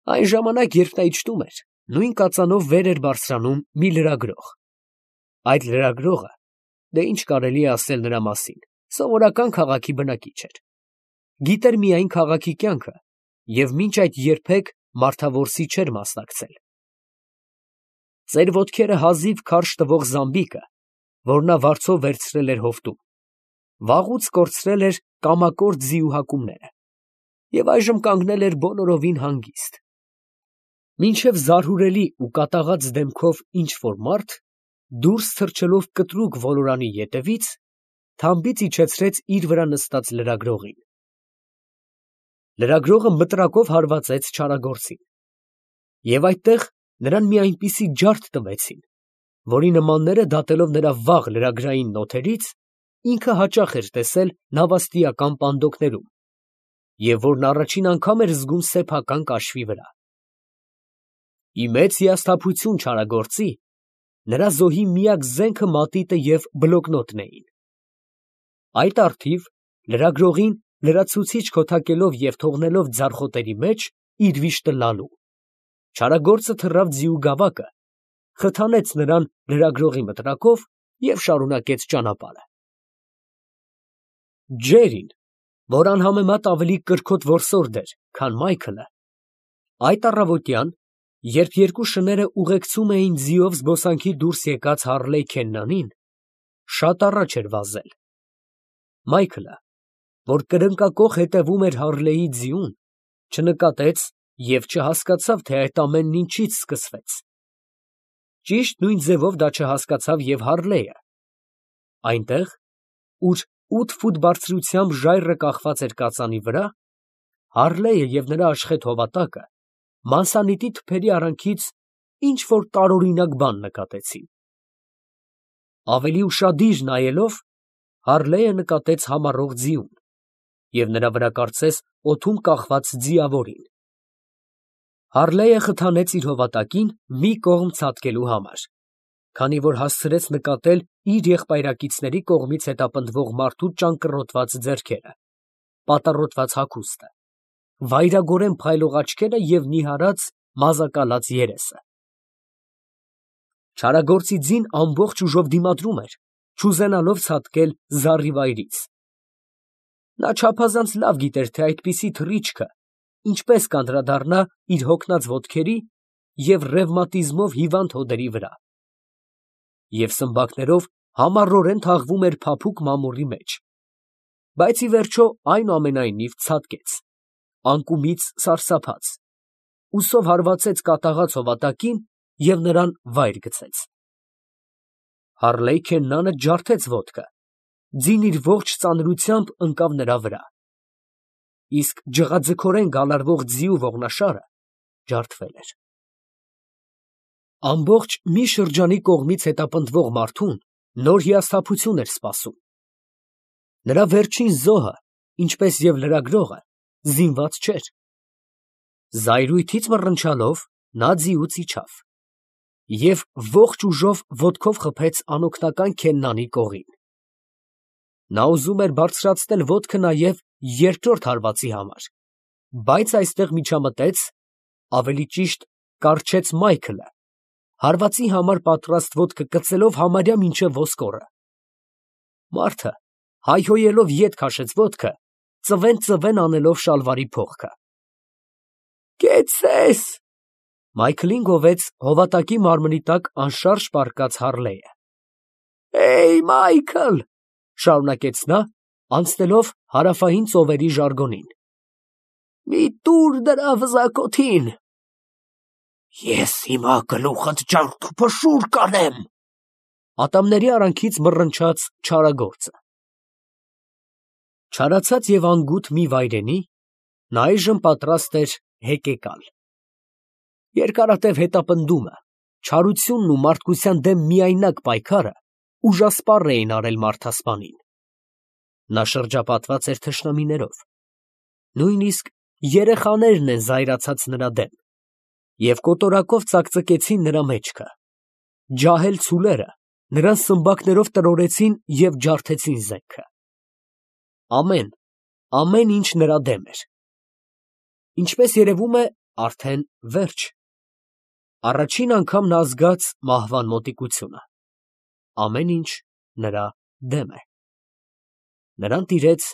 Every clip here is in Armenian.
Այն ժամանակ, երբ նա իջնում էր, նույն կածանով վեր էր բարձրանում մի լրագրող։ Այդ լրագրողը, դե ինչ կարելի է ասել նրա մասին, սովորական քաղաքի բնակիչ էր։ Գիտեր միայն քաղաքի կյանքը և մինչ այդ երբեք մարդավորսի չէր մասնակցել։ Ծեր ոտքերը հազիվ քարշ տվող զամբիկը, որ նա վարձով վերցրել էր հովտում, վաղուց կորցրել էր կամակորձ ձիու հակումները և այժմ կանգնել էր բոլորովին հանգիստ։ Մինչև զարհուրելի ու կատաղած դեմքով ինչ֊որ մարդ, դուրս թռչելով կտրուկ ոլորանի ետևից, թամբից իջեցրեց իր վրա նստած լրագրողին։ Լրագրողը մտրակով հարվածեց չարագործին, և այդտեղ նրան մի այնպիսի ջարդ տվեցին, որի նմանները դատելով նրա վաղ լրագրային նոթերից, ինքը հաճախ էր տեսել նավաստիական պանդոկներում, և որն առաջին անգամ էր զգում սեփական կաշվի վրա։ Ի մեծ հիասթափություն չարագործի, նրա զոհի միակ զենքը մատիտը և բլոկնոտն էին։ Այդ առթիվ լրագրողին լրացուցիչ քոթակելով և թողնելով ձարխոտերի մեջ իր վիշտը լալու, չարագործը թռավ ձիու գավակը, խթանեց նրան լրագրողի մտրակով և շարունակեց ճանապարհը։ Ջերին, որ անհամեմատ ավելի կրքոտ որսորդ էր, քան Մայքլը, այդ առավոտյան, երբ երկու շները ուղեկցում էին ձիով զբոսանքի դուրս եկած Հարլեյ Քեննանին, շատ առաջ էր վազել։ Մայքլը, որ կրնկակոխ հետևում էր Հարլեյի ձիուն, չնկատեց և չհասկացավ, թե այդ ամենն ինչից սկսվեց։ Ճիշտ նույն ձևով դա չհասկացավ և Հարլեյը։ Այնտեղ, ուր 8 ֆուտ բարձրությամբ ժայռը կախված էր կածանի վրա, Հարլեյը և նրա աշխեհ հովատակը մանսանիտի թփերի արանքից ինչ֊որ տարօրինակ բան նկատեցին։ Ավելի ուշադիր նայելով, Հարլեյը նկատեց համառող ձիուն և նրա վրա կարծես օդում կախված ձիավորին։ Հարլեյը խթանեց իր հովատակին մի կողմ ցատկելու համար, քանի որ հասցրեց նկատել իր եղբայրակիցների կողմից հետապնդվող մարդու ճանկռոտված ձեռքերը, պատառոտված հագուստը, վայրագորեն փայլող աչքերը և նիհարած, մազակալած երեսը։ Չարագործի ձին ամբողջ ուժով դիմադրում էր, չուզենալով ցատկել զառիվայրից։ Նա չափազանց լավ գիտեր, թե այդպիսի թռիչքը ինչպես կանդրադառնա իր հոգնած ոտքերի և ռևմատիզմով հիվանդ հոդերի վրա, և սմբակներով համառորեն թաղվում էր փափուկ մամուռի մեջ, բայց ի վերջո այնուամենայնիվ ցատկեց, անկումից սարսափած, ուսով հարվածեց կատաղած հովատակին և նրան վայր գցեց։ Հարլեյ Քեննանը ջարդեց ոտքը, ձին իր ողջ ծանրությամբ ընկավ նրա վրա, իսկ ջղաձգորեն գալարվող ձիու ողնաշարը ջարդվել էր։ Ամբողջ մի շրջանի կողմից հետապնդվող մարդուն նոր հիասթափություն էր սպասում։ Նրա վերջին զոհը, ինչպես և լրագրողը, զինված չէր։ Զայրույթից մռնչալով նա ձիուց իջավ և ողջ ուժով ոտքով խփեց անօգնական Քեննանի կողին։ Նա ուզում էր բարձրացնել ոտքը նաև երկրորդ հարվածի համար, բայց այստեղ միջամտեց, ավելի ճիշտ կառչեց Մայքլը, հարվածի համար պատրաստ ոտքը կծելով համարյա մինչև ոսկորը։ Մարդը, հայհոյելով ետ քաշեց ոտքը, ծվեն անելով շալվարի փողքը։ «Կեցցե՛ս», Մայքլին գովեց հովատակի մարմնի տակ անշարժ պառկած Հարլեյը։ «Հեյ, Մայքլ», շարունակեց նա, անցնելով հարավային ծովերի ժարգոնին, «մի տուր դրա վզակոթին»։ «Ես հիմա գլուխդ ջարդուփշուր կանեմ», ատամների արանքից մռնչաց չարագործը։ Չարացած և անգութ մի վայրենի, նա այժմ պատրաստ էր հեկեկալ։ Երկարատև հետապնդումը, չարությունն ու մարդկության դեմ միայնակ պայքարը ուժասպառ էին արել մարդասպանին։ Նա շրջապատված էր թշնամիներով, նույնիսկ երեխաներն են զայրացած նրա դեմ, և կոտորակով ծակծկեցին նրա մեջքը, ջահել ցուլերը նրան սմբակներով տրորեցին և ջարդեցին զենքը։ Ամեն ինչ նրա դեմ էր։ Ինչպես երևում է, արդեն վերջ։ Առաջին անգամ նա զգաց մահվան մոտիկությունը։ Ամեն ինչ նրա դեմ է։ Նրան տիրեց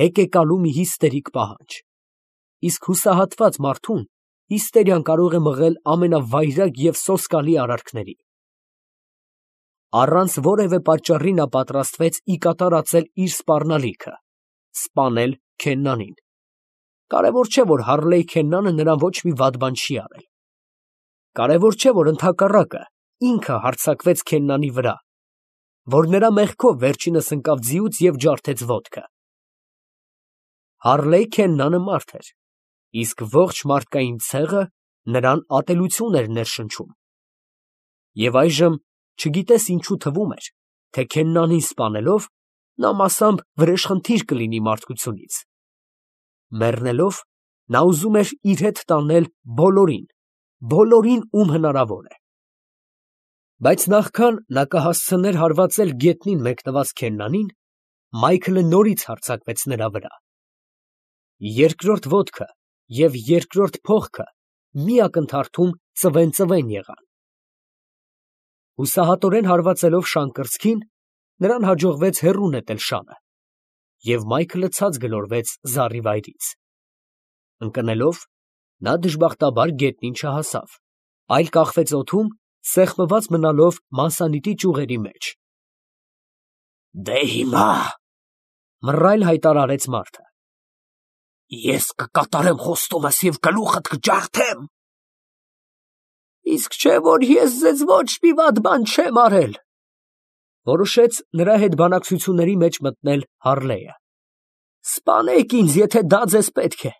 հեկեկալու մի հիստերիկ պահանջ։ Իսկ հուսահատված մարդուն հիստերիան կարող է մղել ամենավայրագ և սոսկալի արարքների։ Առանց որևէ պատճառի նա պատրաստվեց ի կատարածել իր սպառնալիքը՝ սպանել Քեննանին։ Կարևոր չէ, որ Հարլեյ Քեննանը նրան ոչ մի վատ բան չի արել։ Կարևոր չէ, որ ընդհակառակը ինքը հարձակվեց Քեննանի վրա, որ նրա մեղքով վերջինս ընկավ ձիուց և ջարդեց ոտքը։ Հարլեյ Քեննանը մարդ էր, իսկ ողջ մարդկային ցեղը նրան ատելություն էր ներշնչում։ Եվ այժմ չգիտես ինչու թվում էր, թե Քեննանին սպանելով նա մասամբ վրեժխնդիր կլինի մարդկությունից։ Մեռնելով նա ուզում էր իր հետ տանել բոլորին, ում հնարավոր է։ Բայց նախքան նա կհասցներ հարվածել գետնին մեկնված Քեննանին, Մայքլը նորից հարձակվեց նրա վրա։ Երկրորդ ոտքը և երկրորդ փողքը մի ակնթարթում ծվեն եղան։ Հուսահատորեն հարվածելով շան կրծքին, նրան հաջողվեց հեռու նետել շանը, և Մայքլը ցած գլորվեց զառիվայրից։ Ընկնելով, նա դժբախտաբար գետնին չհասավ, այլ կախվեց օդում, սեղմված մնալով մասանիտի ճյուղերի մեջ։ «Դե հիմա, ֊ մռայլ հայտարարեց մարդը, ֊ ես կկատարեմ խոստումս և գլուխդ կջարդեմ»։ «Իսկ չէ՞ որ ես ձեզ ոչ մի վատ բան չեմ արել, ֊ որոշեց նրա հետ բանակցությունների մեջ մտնել Հարլեյը։ ֊ Սպանեք ինձ, եթե դա ձեզ պետք է,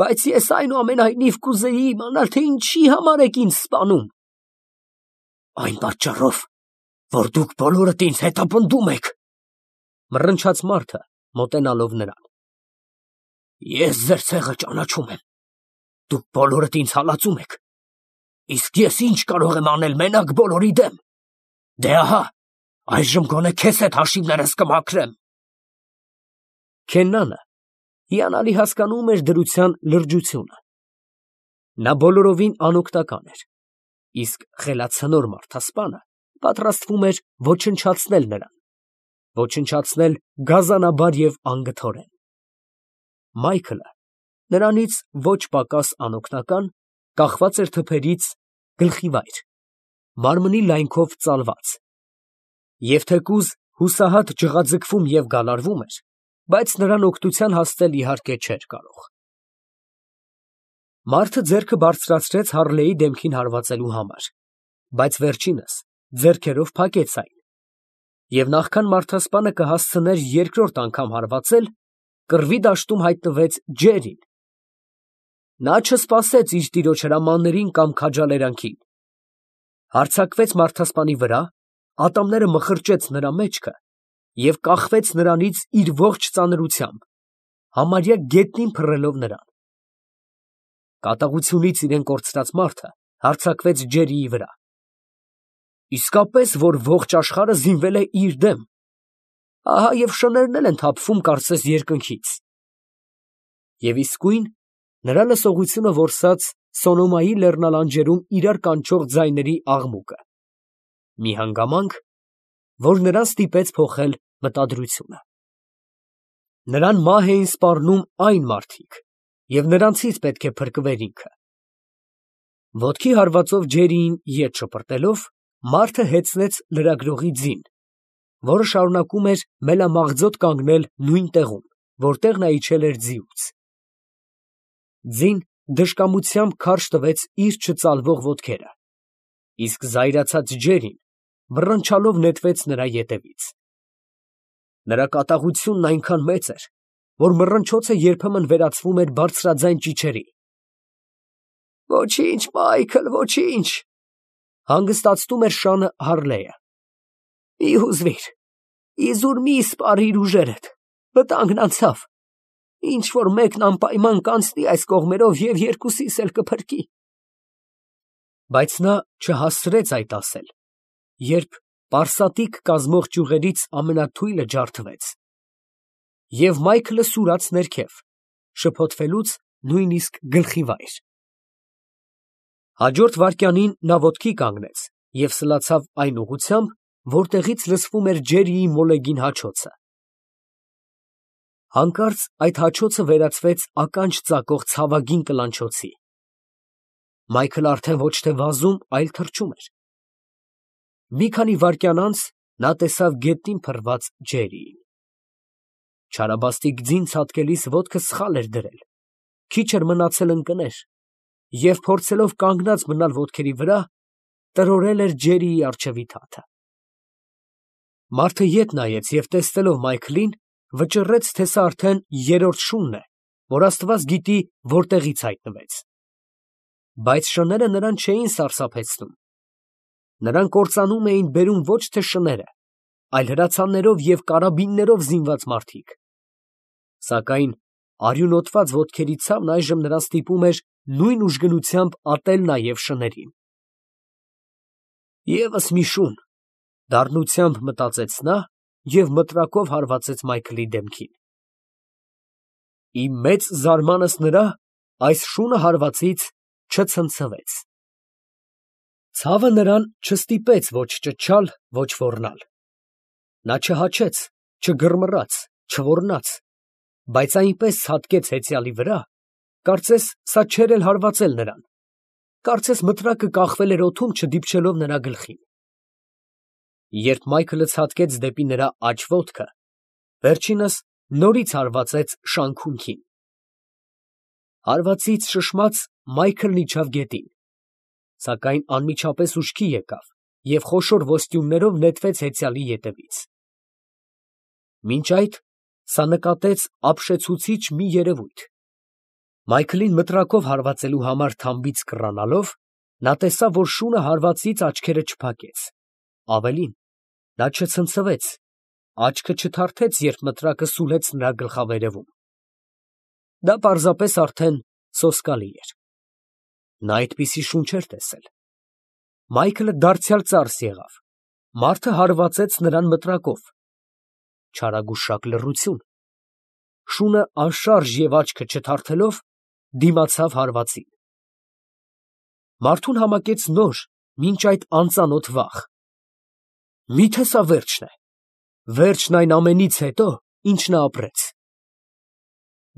բայց ես այնուամենայնիվ կուզեի իմանալ, թե ինչի համար եք ինձ սպանում։ ֊ Այն պատճառով, որ դուք բոլորդ ինձ հետապնդում եք, ֊ մռնչաց մարդը, մոտենալով նրան։ ֊ Ես ձեր ցեղը ճանաչում եմ, դուք բոլորդ ինձ հալածում եք, իսկ ես ինչ կարող եմ անել մենակ բոլորի դեմ։ Դե ահա, այժմ գոնե քեզ հետ հաշիվներս կմաքրեմ։ Քեննանը հիանալի հասկանում էր դրության լրջությունը։ Նա բոլորովին անօգնական էր, իսկ խելացնոր մարդասպանը պատրաստվում էր ոչնչացնել նրան, ոչնչացնել գազանաբար և անգթորեն։ Մայքլը, նրանից ոչ պակաս անօգնական, կախված էր թփերից գլխիվայր, մարմնի լայնքով ծալված, և թեկուզ հուսահատ ջղաձգվում և գալարվում էր, բայց նրան օգնության հասնել իհարկե չէր կարող։ Մարդը ձեռքը բարձրացրեց Հարլեյի դեմքին հարվածելու համար, բայց վերջինս ձեռքերով փակեց այն, և նախքան մարդասպանը կհասցներ երկրորդ անգամ հարվածել, կռվի դաշտում հայտնվեց Ջերին։ Նա չսպասեց իր տիրոջ հրամաններին կամ քաջալերանքին, հարձակվեց մարդասպանի վրա, ատամները մխրճեց նրա մեջքը և կախվեց նրանից իր ողջ ծանրությամբ, համարյա գետնին փռելով նրան։ Կատաղությունից իրեն կորցրած մարդը հարձակվեց Ջերիի վրա։ Իսկապես, որ ողջ աշխարհը զինվել է իր դեմ, ահա և շներն էլ են թափվում կարծես երկնքից։ Եվ իսկույն նրա լսողությունը որսաց Սոնոմայի լեռնալանջերում իրար կանչող ձայների աղմուկը, մի հանգամանք, որ նրան ստիպեց փոխել մտադրությունը։ Նրան մահ էին սպառնում այն մարդիկ, և նրանցից պետք է փրկվեր ինքը։ Ոտքի հարվածով Ջերիին ետ շպրտելով, մարդը հեծնեց լրագրողի ձին, որը շարունակում էր մելամաղձոտ կանգնել նույն տեղում, որտեղ նա իջել էր ձիուց։ Ձին դժկամությամբ քարշ տվեց իր չծալվող ոտքերը, իսկ զայրացած Ջերին բռնչալով նետվեց նրա ետևից։ Նրա կատաղությունն այնքան մեծ էր, որ մռնչոցը երբեմն վերածվում էր բարձրաձայն ճիչերի։ «Ոչինչ, Մայքլ, ոչինչ, ֊ հանգստացնում էր շանը Հարլեյը, ֊ մի հուզվիր, իզուր մի սպառիր ուժերդ, վտանգն անցավ, ինչ որ մեկն անպայման կանցնի այս կողմերով և երկուսիս էլ կփրկի»։ Բայց նա չհասցրեց այդ ասել, երբ պարսատիկ կազմող ճյուղերից ամենաթույլը ջարդվեց, և Մայքլը սուրաց ներքև, շփոթվելուց նույնիսկ գլխիվայր։ Հաջորդ վայրկյանին նա ոտքի կանգնեց և սլացավ այն ուղղությամբ, որտեղից լսվում էր Ջերրիի մոլեգին հաչոցը։ Հանկարծ այդ հաչոցը վերածվեց ականջ ծակող ցավագին կլանչոցի։ Մայքլը արդեն ոչ թե վազում, այլ թռչում էր։ Մի քանի վայրկյան անց նա տեսավ գետնին փռված Ջերրիին։ Չարաբաստիկ ձին ցատկելիս ոտքը սխալ էր դրել, քիչ էր մնացել ընկներ, և փորձելով կանգնած մնալ ոտքերի վրա, տրորել էր Ջերրիի առջևի թաթը։ Մարդը ետ նայեց և տեսնելով Մայքլին, վճռեց, թե սա արդեն երրորդ շունն է, որ Աստված գիտի որտեղից հայտնվեց։ Բայց շները նրան չէին սարսափեցնում. նրան կործանում էին բերում ոչ թե շները, այլ հրացաններով և կարաբիններով զինված մարդիկ։ Սակայն արյունոտված ոտքերի ցավն այժմ նրան ստիպում էր նույն ուժգնությամբ ատել նաև շներին։ «Եվս մի շուն», դառնությամբ մտածեց նա և մտրակով հարվածեց Մայքլի դեմքին։ Իմ մեծ զարմանս նրա, այս շունը հարվածից չցնցվեց։ Ցավը նրան չստիպեց ոչ ճչալ, ոչ ոռնալ։ Նա չհաչեց, չգռմռաց, չոռնաց, բայց այնպես ցատկեց հեծյալի վրա, կարծես սա չէր էլ հարվածել նրան, կարծես մտրակը կախվել էր օդում, չդիպչելով նրա գլխին։ Երբ Մայքլը ցատկեց դեպի նրա աջ ոտքը, վերջինս նորից հարվածեց շանքունքին։ Հարվածից շշմած Մայքլն իջավ գետին, սակայն անմիջապես ուշքի եկավ և խոշոր ոստյուններով նետվեց հեծյալի ետևից։ Մինչ այդ սա նկատեց ապշեցուցիչ մի երևույթ. Մայքլին մտրակով հարվածելու համար թամբից կռանալով, նա տեսավ, որ շունը հարվածից աչքերը չփակեց, ավելին, նա չցնցվեց, աչքը չթարթեց, երբ մտրակը սուլեց նրա գլխավերևում։ Դա պարզապես արդեն սոսկալի էր։ Նա այդպիսի շուն չէր տեսել։ Մայքլը դարձյալ ծարս եղավ, մարդը հարվածեց նրան մտրակով։ Չարագուշակ լռություն։ Շունը անշարժ և աչքը չթարթելով, դիմացավ հարվածին։ Մարդուն համակեց նոր, մինչ այդ անծանոթ վախ։ Մի՞թե սա վերջն է, վերջն այն ամենից հետո, ինչ նա ապրեց։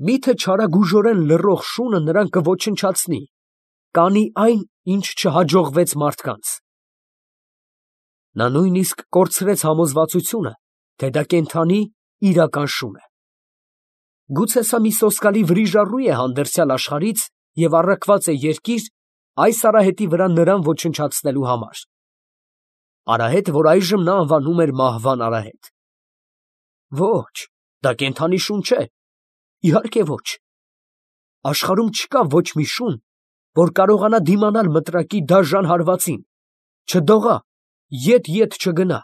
Մի՞թե չարագուժորեն լռող շունը նրան կոչնչացնի, կանի այն, ինչ չհաջողվեց մարդկանց։ Նա նույնիսկ կորցրեց համոզվածությունը, թե դա կենդանի, իրական շուն է։ Գուցե սա մի սոսկալի վրիժառու է հանդերձյալ աշխարհից և առաքված է երկիր այս արահետի վրա նրան ոչնչացնելու համար։ Արահետ, որ այժմ նա անվանում էր մահվան արահետ։ Ոչ, դա կենդանի շուն չէ, իհարկե ոչ։ Աշխարհում չկա ոչ մի շուն, որ կարողանա դիմանալ մտրակի դաժան հարվածին, չդողա, ետ չգնա։